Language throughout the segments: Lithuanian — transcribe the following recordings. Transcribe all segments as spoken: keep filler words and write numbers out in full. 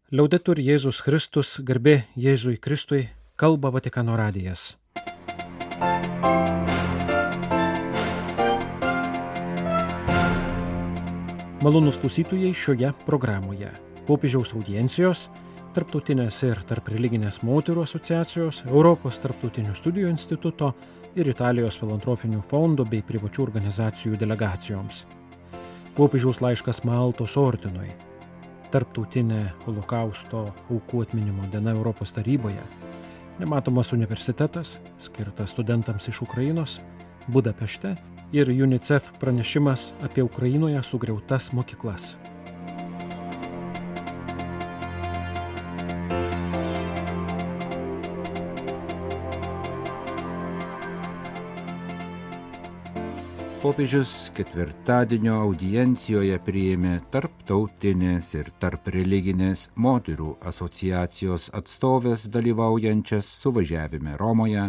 Liaudetur Jėzus Kristus, garbė Jėzui Kristui, kalba Vatikano radijas. Malonūs klausytojai šioje programoje. Popiežiaus audiencijos, Tarptautinės ir tarpreliginės moterų asociacijos, Europos tarptautinių studijų instituto ir Italijos filantropinių fondų bei privačių organizacijų delegacijoms. Popiežiaus laiškas Maltos ordinui. Tarptautinė Holokausto aukų atminimo diena Europos taryboje, nematomas universitetas, skirtas studentams iš Ukrainos, Budapešte ir UNICEF pranešimas apie Ukrainoje sugriautas mokyklas. Popiežius ketvirtadienio audiencijoje priėmė Tarptautinės ir tarpreliginės moterų asociacijos atstovės dalyvaujančias suvažiavime Romoje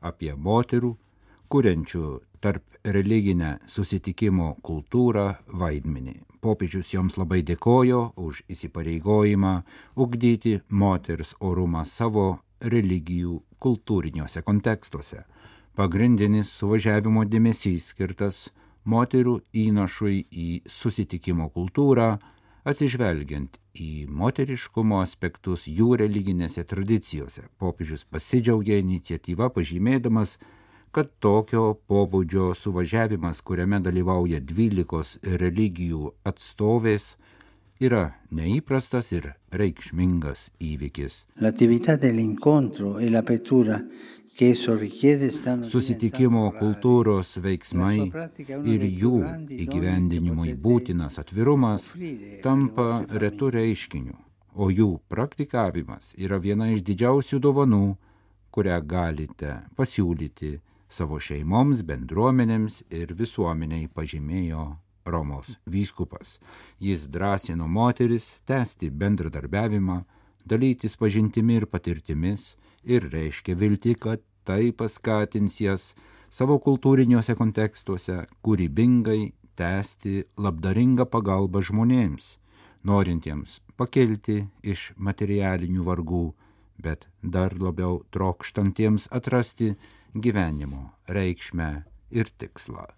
apie moterų, kuriančių tarpreliginę susitikimo kultūrą vaidmenį. Popiežius joms labai dėkojo už įsipareigojimą ugdyti moters orumą savo religijų kultūriniuose kontekstuose. Pagrindinis suvažiavimo dėmesys skirtas moterų įnašui į susitikimo kultūrą, atsižvelgiant į moteriškumo aspektus jų religinėse tradicijose. Popiežius pasidžiaugė iniciatyvą, pažymėdamas, kad tokio pobūdžio suvažiavimas, kuriame dalyvauja dvylikos religijų atstovės, yra neįprastas ir reikšmingas įvykis. L'attività dell'incontro e l'apertura Susitikimo kultūros veiksmai ir jų įgyvendinimui būtinas atvirumas tampa retu reiškiniu, o jų praktikavimas yra viena iš didžiausių dovanų, kurią galite pasiūlyti savo šeimoms, bendruomenėms ir visuomeniai, pažymėjo Romos vyskupas. Jis drąsino moteris tęsti bendradarbiavimą, dalytis pažintimi ir patirtimis, ir reiškia viltį, kad tai paskatins jas savo kultūriniuose kontekstuose kūrybingai tęsti labdaringą pagalbą žmonėms, norintiems pakelti iš materialinių vargų, bet dar labiau trokštantiems atrasti gyvenimo reikšmę ir tikslą.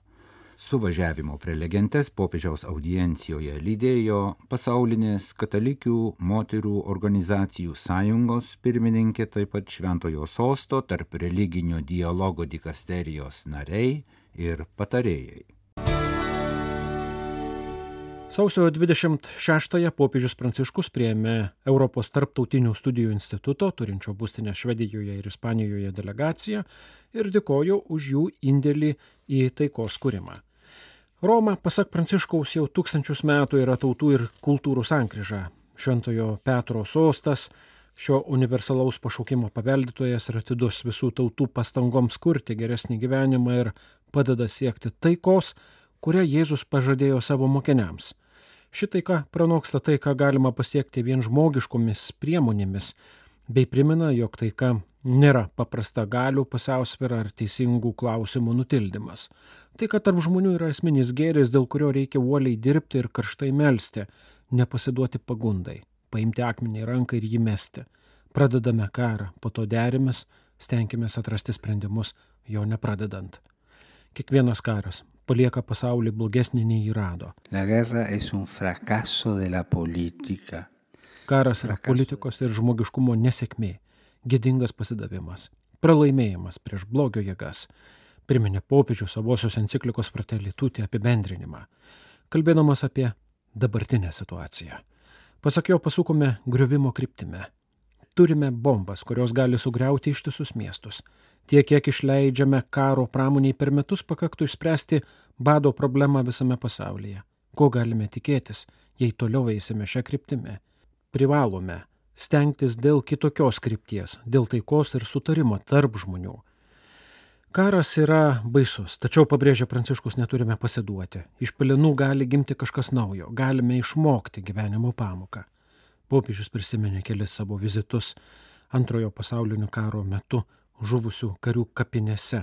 Suvažiavimo prelegentes popiežiaus audiencijoje lydėjo pasaulinės katalikių moterų organizacijų sąjungos pirmininkė, taip pat Šventojo Sosto tarp religinio dialogo dikasterijos nariai ir patarėjai. Sausio dvidešimt šeštąją popiežius Pranciškus priėmė Europos tarptautinių studijų instituto, turinčio būstinę Švedijoje ir Ispanijoje delegaciją ir dėkojo už jų indėlį į taikos kūrimą. Roma, pasak Pranciškaus, jau tūkstančius metų yra tautų ir kultūrų sankryža. Šventojo Petro sostas, šio universalaus pašaukimo paveldėtojas ir atidus visų tautų pastangoms kurti geresnį gyvenimą ir padeda siekti taikos, kurią Jėzus pažadėjo savo mokiniams. Ši taika pranoksta tai, ką galima pasiekti vien žmogiškomis priemonėmis, bei primena, jog taika nėra paprasta galių pusiausvyra ar teisingų klausimų nutildymas. Tai, kad tarp žmonių yra esminis gėris, dėl kurio reikia uoliai dirbti ir karštai melsti, nepasiduoti pagundai, paimti akmenį į ranką ir jį mesti. Pradedame karą, po to derimės, stenkimės atrasti sprendimus, jo nepradedant. Kiekvienas karas palieka pasaulį blogesnį nei jį rado. La guerra es un fracaso de la política. Karas yra politikos ir žmogiškumo nesėkmė, gėdingas pasidavimas, pralaimėjimas prieš blogio jėgas, priminė popiežius savosios enciklikos Fratelli Tutti apibendrinimą, kalbėdamas apie dabartinę situaciją. Pasak jo, pasukome griovimo kryptimi. Turime bombas, kurios gali sugriauti ištisus miestus. Tiek, kiek išleidžiame karo pramoniai per metus, pakaktų išspręsti bado problemą visame pasaulyje. Ko galime tikėtis, jei toliau eisime šią kryptimį? Privalome stengtis dėl kitokios krypties, dėl taikos ir sutarimo tarp žmonių. Karas yra baisus, tačiau, pabrėžia Pranciškus, neturime pasiduoti. Iš pelenų gali gimti kažkas naujo, galime išmokti gyvenimo pamoką. Popiežius prisiminė kelis savo vizitus antrojo pasaulinio karo metu žuvusių karių kapinėse,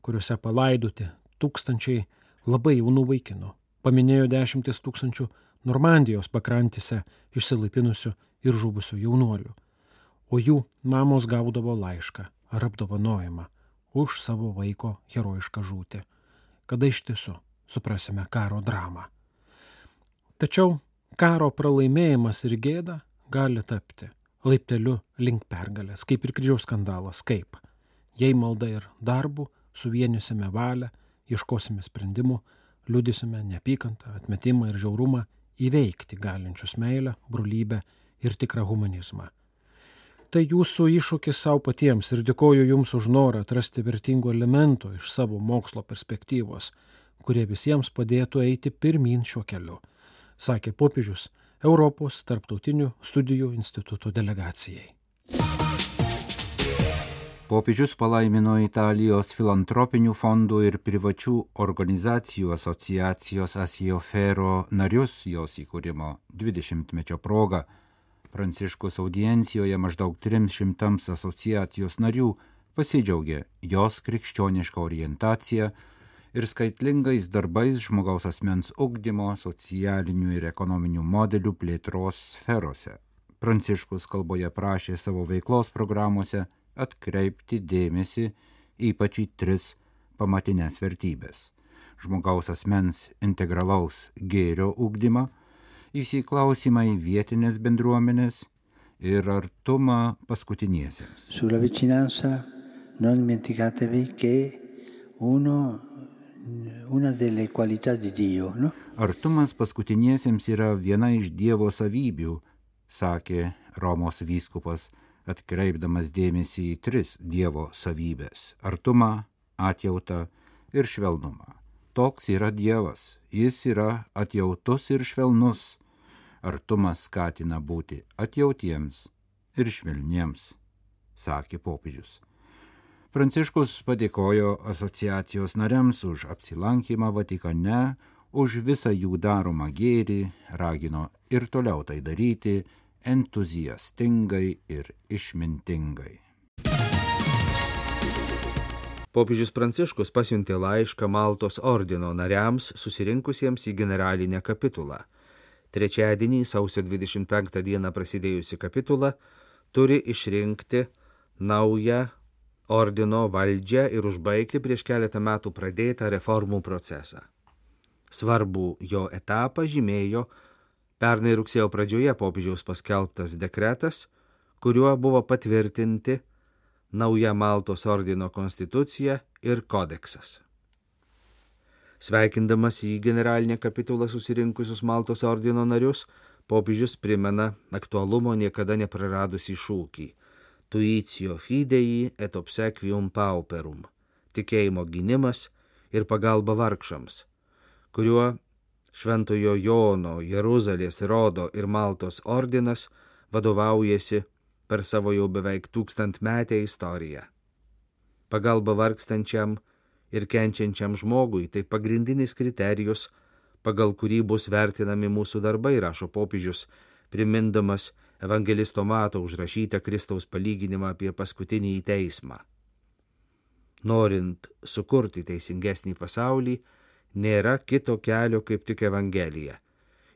kuriuose palaidoti tūkstančiai labai jaunų vaikinų. Paminėjo dešimtis tūkstančių Normandijos pakrantėse išsilaipinusių ir žuvusių jaunuolių, o jų mamos gaudavo laišką ar apdovanojimą už savo vaiko herojišką žūtį. Kada iš tiesų suprasime karo dramą. Tačiau karo pralaimėjimas ir gėda gali tapti laipteliu link pergalės, kaip ir kryžiaus skandalas, kaip jei malda ir darbu suvienysime valią, ieškosime sprendimų, liudysime neapykantą, atmetimą ir žiaurumą įveikti galinčius meilę, brolybę ir tikrą humanizmą. Tai jūsų iššūkis savo patiems ir dėkoju jums už norą atrasti vertingų elementų iš savo mokslo perspektyvos, kurie visiems padėtų eiti pirmyn šiuo keliu, sakė popiežius Europos tarptautinių studijų instituto delegacijai. Popiežius palaimino Italijos filantropinių fondų ir privačių organizacijų asociacijos Asiofero narius jos įkūrimo dvidešimtmečio proga. Pranciškus audiencijoje maždaug trims šimtams asociacijos narių pasidžiaugė jos krikščionišką orientaciją ir skaitlingais darbais žmogaus asmens ugdymo, socialinių ir ekonominių modelių plėtros sferose. Pranciškus kalboje prašė savo veiklos programuose atkreipti dėmesį ypač į tris pamatinės vertybės – žmogaus asmens integralaus gėrio ugdymą, įsiklausimą į vietinės bendruomenės ir artumą paskutiniesiems. Sulla vicinanza non dimenticatevi che uno, una delle qualità di Dio, no? Artumas paskutiniesiems yra viena iš Dievo savybių, sakė Romos vyskupas, atkreipdamas dėmesį į tris Dievo savybės – artumą, atjautą ir švelnumą. Toks yra Dievas, jis yra atjautus ir švelnus. Artumas skatina būti atjautiems ir švelniems, sakė popiežius. Pranciškus padėkojo asociacijos nariams už apsilankymą Vatikane, už visą jų daromą gėrį, ragino ir toliau tai daryti entuziastingai ir išmintingai. Popiežius Pranciškus pasiuntė laišką Maltos ordino nariams susirinkusiems į generalinę kapitulą. Trečiadienį, sausio dvidešimt penktą dieną prasidėjusi kapitula turi išrinkti naują ordino valdžią ir užbaigti prieš keletą metų pradėtą reformų procesą. Svarbų jo etapą žymėjo pernai rugsėjo pradžioje popiežiaus paskelbtas dekretas, kuriuo buvo patvirtinti nauja Maltos ordino konstitucija ir kodeksas. Sveikindamas į generalinę kapitulą susirinkusius Maltos ordino narius, popiežius primena aktualumo niekada nepraradusį šūkį Tuitio fidei et obsequium pauperum – tikėjimo gynimas ir pagalba vargšams, kuriuo Šventojo Jono, Jeruzalės, Rodo ir Maltos ordinas vadovaujasi per savo jau beveik tūkstantmetę istoriją. Pagalba vargstančiam ir kenčiančiam žmogui tai pagrindinis kriterijus, pagal kurį bus vertinami mūsų darbai, rašo popiežius, primindamas evangelisto Mato užrašytą Kristaus palyginimą apie paskutinį teismą. Norint sukurti teisingesnį pasaulį, nėra kito kelio kaip tik Evangelija.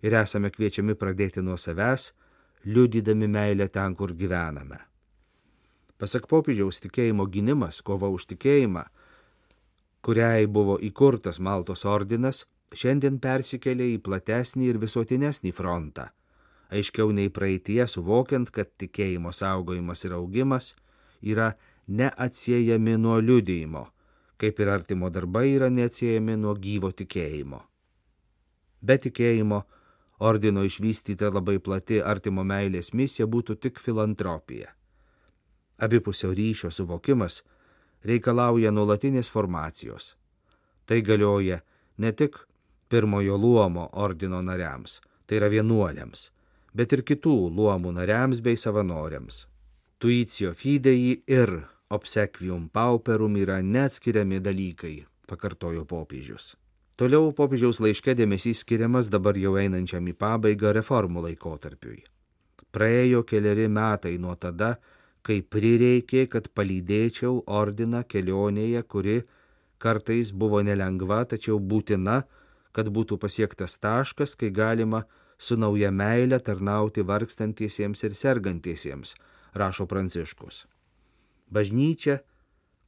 Ir esame kviečiami pradėti nuo savęs, liudydami meilę ten, kur gyvename. Pasak popiežiaus, tikėjimo gynimas, kova už tikėjimą, kuriai buvo įkurtas Maltos ordinas, šiandien persikėlė į platesnį ir visuotinesnį frontą, aiškiau nei praeitie suvokiant, kad tikėjimo saugojimas ir augimas yra neatsiejami nuo liudijimo, kaip ir artimo darbai yra neatsiejami nuo gyvo tikėjimo. Be tikėjimo, ordino išvystyta labai plati artimo meilės misija būtų tik filantropija. Abipusio ryšio suvokimas reikalauja nuolatinės formacijos. Tai galioja ne tik pirmojo luomo ordino nariams, tai yra vienuoliams, bet ir kitų luomų nariams bei savanoriams. Tuitio fidei ir obsequium pauperum yra neatskiriami dalykai, pakartojo popiežius. Toliau popiežiaus laiške dėmesys skiriamas dabar jau einančiam į pabaigą reformų laikotarpiui. Praėjo keleri metai nuo tada, kai prireikė, kad palydėčiau ordiną kelionėje, kuri kartais buvo nelengva, tačiau būtina, kad būtų pasiektas taškas, kai galima su nauja meile tarnauti vargstantiesiems ir sergantiesiems, rašo Pranciškus. Bažnyčia,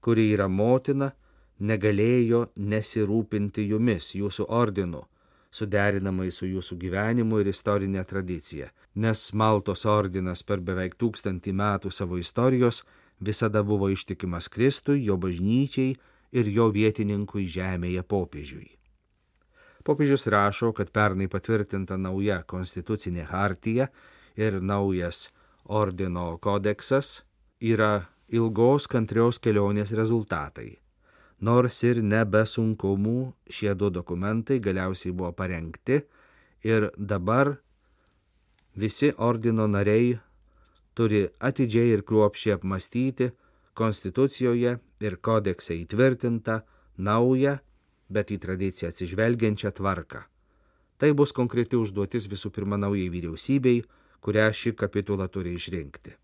kuri yra motina, negalėjo nesirūpinti jumis, jūsų ordinu, suderinamai su jūsų gyvenimu ir istorinė tradicija, nes Maltos ordinas per beveik tūkstantį metų savo istorijos visada buvo ištikimas Kristui, jo bažnyčiai ir jo vietininkui žemėje popiežiui. Popiežius rašo, kad pernai patvirtinta nauja konstitucinė hartija ir naujas ordino kodeksas yra ilgos kantrios kelionės rezultatai. Nors ir ne be sunkumų šie du dokumentai galiausiai buvo parengti ir dabar visi ordino nariai turi atidžiai ir kruopščiai apmastyti konstitucijoje ir kodekse įtvirtintą naują, bet į tradiciją atsižvelgiančią tvarką. Tai bus konkreti užduotis visų pirma naujai vyriausybei, kurią ši kapitula turi išrinkti.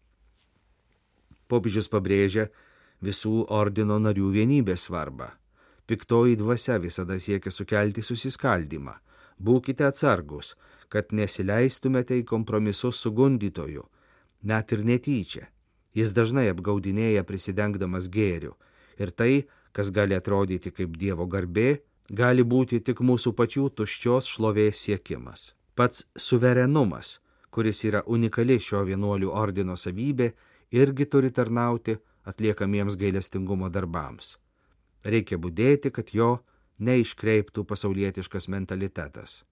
Popiežius pabrėžia visų ordino narių vienybės svarbą. Piktoji dvasia visada siekia sukelti susiskaldymą. Būkite atsargus, kad nesileistumėte į kompromisus su gundytoju, net ir netyčia. Jis dažnai apgaudinėja prisidengdamas gėriu. Ir tai, kas gali atrodyti kaip Dievo garbė, gali būti tik mūsų pačių tuščios šlovės siekimas. Pats suverenumas, kuris yra unikali šio vienuolių ordino savybė, irgi turi tarnauti atliekamiems gailestingumo darbams. Reikia budėti, kad jo neiškreiptų pasaulietiškas mentalitetas.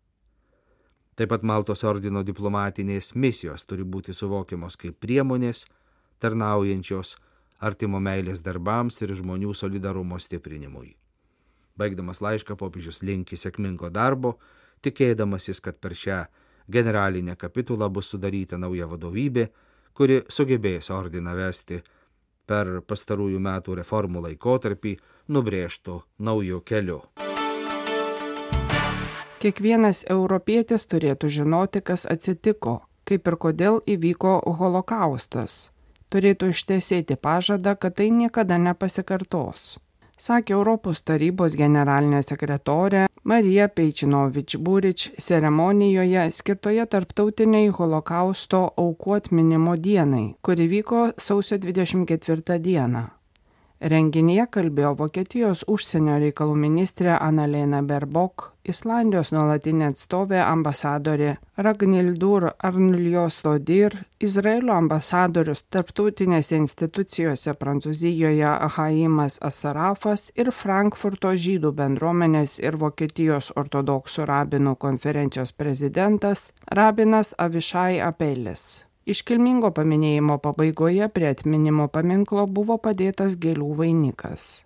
Taip pat Maltos ordino diplomatinės misijos turi būti suvokiamos kaip priemonės, tarnaujančios artimo meilės darbams ir žmonių solidarumo stiprinimui. Baigdamas laišką popiežius linki sėkmingo darbo, tikėdamasis, kad per šią generalinę kapitulą bus sudaryta nauja vadovybė, kuri sugebės ordiną vesti per pastarųjų metų reformų laikotarpį nubrėžtų naujų kelių. Kiekvienas europietis turėtų žinoti, kas atsitiko, kaip ir kodėl įvyko holokaustas. Turėtų ištesėti pažadą, kad tai niekada nepasikartos, sakė Europos tarybos generalinė sekretorė Marija Pejčinovič-Burič ceremonijoje skirtoje tarptautiniai holokausto aukų atminimo dienai, kuri vyko sausio dvidešimt ketvirtą dieną. Renginyje kalbėjo Vokietijos užsienio reikalų ministrė Annalena Baerbock, Islandijos nuolatinė atstovė ambasadorė Ragnhildur Arnljosdottir, Izraelio ambasadorius tarptautinėse institucijose Prancūzijoje Haimas Asarafas ir Frankfurto žydų bendruomenės ir Vokietijos ortodoksų rabinų konferencijos prezidentas rabinas Avišai Apelis. Iškilmingo paminėjimo pabaigoje prie atminimo paminklo buvo padėtas gėlių vainikas.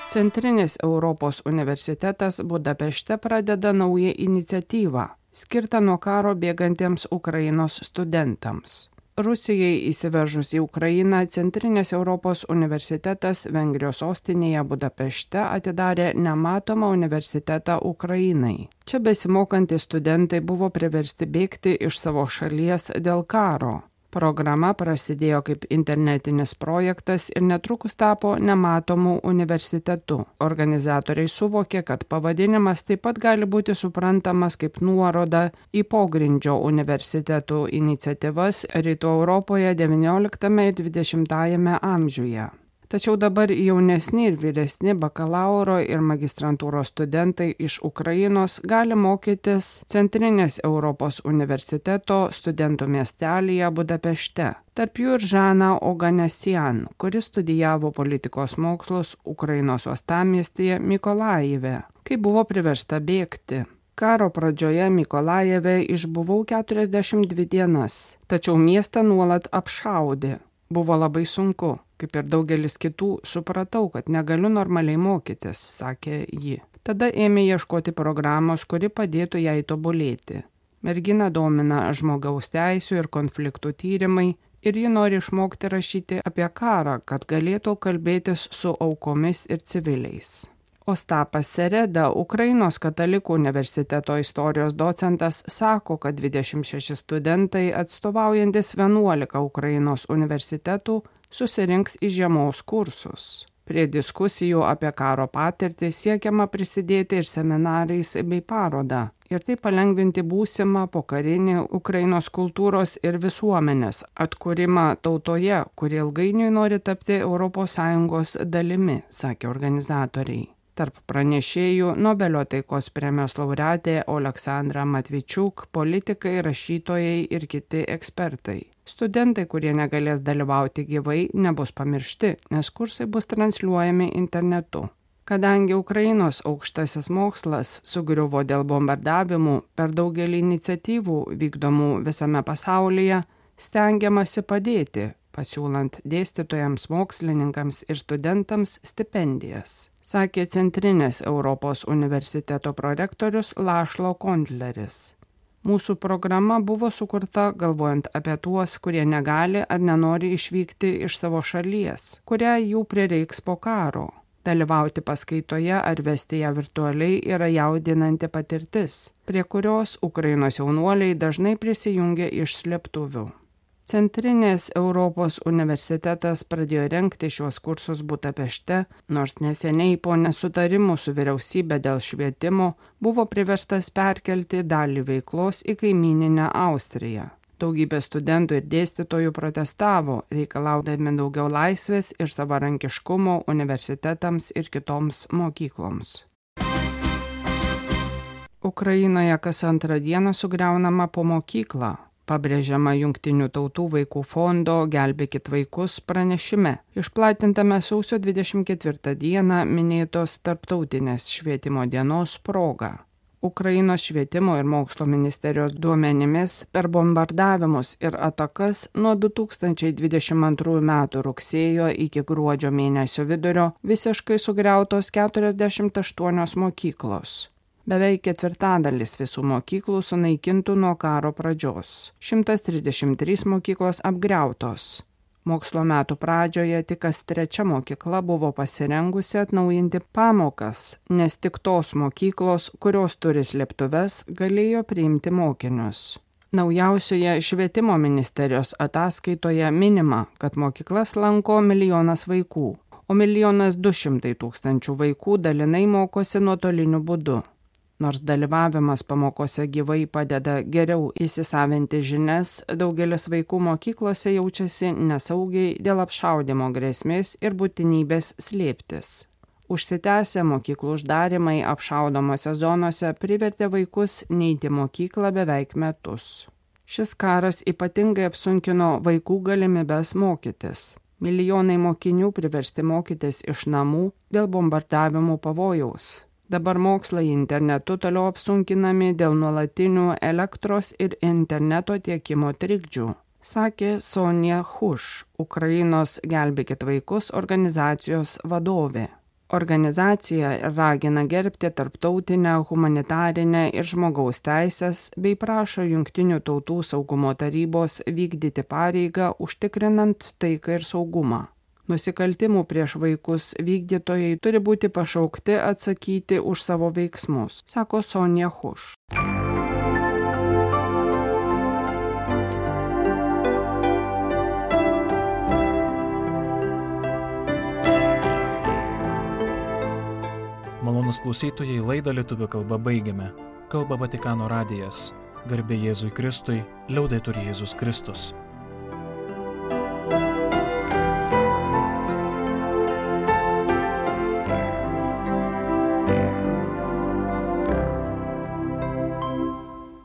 Centrinis Europos universitetas Budapešte pradeda naują iniciatyvą, skirtą nuo karo bėgantiems Ukrainos studentams. Rusijai įsiveržus į Ukrainą, Centrinės Europos universitetas Vengrijos sostinėje Budapešte atidarė nematomą universitetą Ukrainai. Čia besimokantys studentai buvo priversti bėgti iš savo šalies dėl karo. Programa prasidėjo kaip internetinis projektas ir netrukus tapo nematomu universitetu. Organizatoriai suvokė, kad pavadinimas taip pat gali būti suprantamas kaip nuoroda į pogrindžio universitetų iniciatyvas Rytų Europoje devynioliktame ir dvidešimtajame amžiuje. Tačiau dabar jaunesni ir vyresni bakalauro ir magistrantūros studentai iš Ukrainos gali mokytis Centrinės Europos universiteto studentų miestelyje Budapešte. Tarp jų ir Žana Oganesian, kuris studijavo politikos mokslus Ukrainos uostamiestyje Mykolajive, kai buvo priversta bėgti. Karo pradžioje Mykolajeve išbuvau keturiasdešimt dvi dienas, tačiau miestą nuolat apšaudė. Buvo labai sunku. Kaip ir daugelis kitų, supratau, kad negaliu normaliai mokytis, sakė ji. Tada ėmė ieškoti programos, kuri padėtų jai tobulėti. Mergina domina žmogaus teisių ir konfliktų tyrimai ir ji nori išmokti rašyti apie karą, kad galėtų kalbėtis su aukomis ir civiliais. Ostapas Sereda, Ukrainos katalikų universiteto istorijos docentas, sako, kad dvidešimt šeši studentai atstovaujantis vienuolika Ukrainos universitetų susirinks į žiemos kursus. Prie diskusijų apie karo patirtį siekiama prisidėti ir seminarais bei paroda ir taip palengvinti būsimą pokarinį Ukrainos kultūros ir visuomenės atkūrimą tautoje, kuri ilgainiui nori tapti Europos Sąjungos dalimi, sakė organizatoriai. Tarp pranešėjų Nobelio taikos premijos laureatė Oleksandra Matvičiuk, politikai, rašytojai ir kiti ekspertai. Studentai, kurie negalės dalyvauti gyvai, nebus pamiršti, nes kursai bus transliuojami internetu. Kadangi Ukrainos aukštasis mokslas sugriuvo dėl bombardavimų, per daugelį iniciatyvų vykdomų visame pasaulyje stengiamasi padėti, pasiūlant dėstytojams, mokslininkams ir studentams stipendijas, sakė Centrinės Europos universiteto prorektorius László Kondleris. Mūsų programa buvo sukurta galvojant apie tuos, kurie negali ar nenori išvykti iš savo šalies, kurią jų prireiks po karo. Dalyvauti paskaitoje ar vesti ją virtualiai yra jaudinanti patirtis, prie kurios Ukrainos jaunuoliai dažnai prisijungia iš slėptuvių. Centrinės Europos universitetas pradėjo rengti šiuos kursus Budapešte, nors neseniai po nesutarimų su vyriausybė dėl švietimo buvo priverstas perkelti dalį veiklos į kaimyninę Austriją. Daugybė studentų ir dėstytojų protestavo, reikalaudami daugiau laisvės ir savarankiškumo universitetams ir kitoms mokykloms. Ukrainoje kas antrą dieną sugriaunama po mokyklą. Pabrėžiama Jungtinių tautų vaikų fondo Gelbėkit vaikus pranešime, išplatintame sausio dvidešimt ketvirtą dieną minėtos Tarptautinės švietimo dienos proga. Ukrainos švietimo ir mokslo ministerijos duomenimis per bombardavimus ir atakas nuo du tūkstančiai dvidešimt antrųjų metų rugsėjo iki gruodžio mėnesio vidurio visiškai sugriautos keturiasdešimt aštuonios mokyklos. Beveik ketvirtadalis visų mokyklų sunaikintų nuo karo pradžios. šimtas trisdešimt trys mokyklos apgriautos. Mokslo metų pradžioje tik kas trečia mokykla buvo pasirengusi atnaujinti pamokas, nes tik tos mokyklos, kurios turi slėptuves, galėjo priimti mokinius. Naujausioje švietimo ministerijos ataskaitoje minima, kad mokyklas lanko milijonas vaikų, o milijonas du šimtai tūkstančių vaikų dalinai mokosi nuotoliniu būdu. Nors dalyvavimas pamokose gyvai padeda geriau įsisavinti žinias, daugelis vaikų mokyklose jaučiasi nesaugiai dėl apšaudymo grėsmės ir būtinybės slėptis. Užsitęsę mokyklų uždarimai apšaudomose zonose privertė vaikus neiti mokyklą beveik metus. Šis karas ypatingai apsunkino vaikų galimybes mokytis. Milijonai mokinių priversti mokytis iš namų dėl bombardavimų pavojaus. Dabar mokslai internetu toliau apsunkinami dėl nuolatinių elektros ir interneto tiekimo trikdžių, sakė Sonja Huš, Ukrainos Gelbėkit vaikus organizacijos vadovė. Organizacija ragina gerbti tarptautinę humanitarinę ir žmogaus teisės bei prašo Jungtinių tautų saugumo tarybos vykdyti pareigą užtikrinant taiką ir saugumą. Nusikaltimų prieš vaikus vykdytojai turi būti pašaukti atsakyti už savo veiksmus, sako Sonja Huš. Malonūs klausytojai, laidą lietuvių kalba baigiame. Kalba Vatikano radijas. Garbė Jėzui Kristui, liaudetur Jėzus Kristus.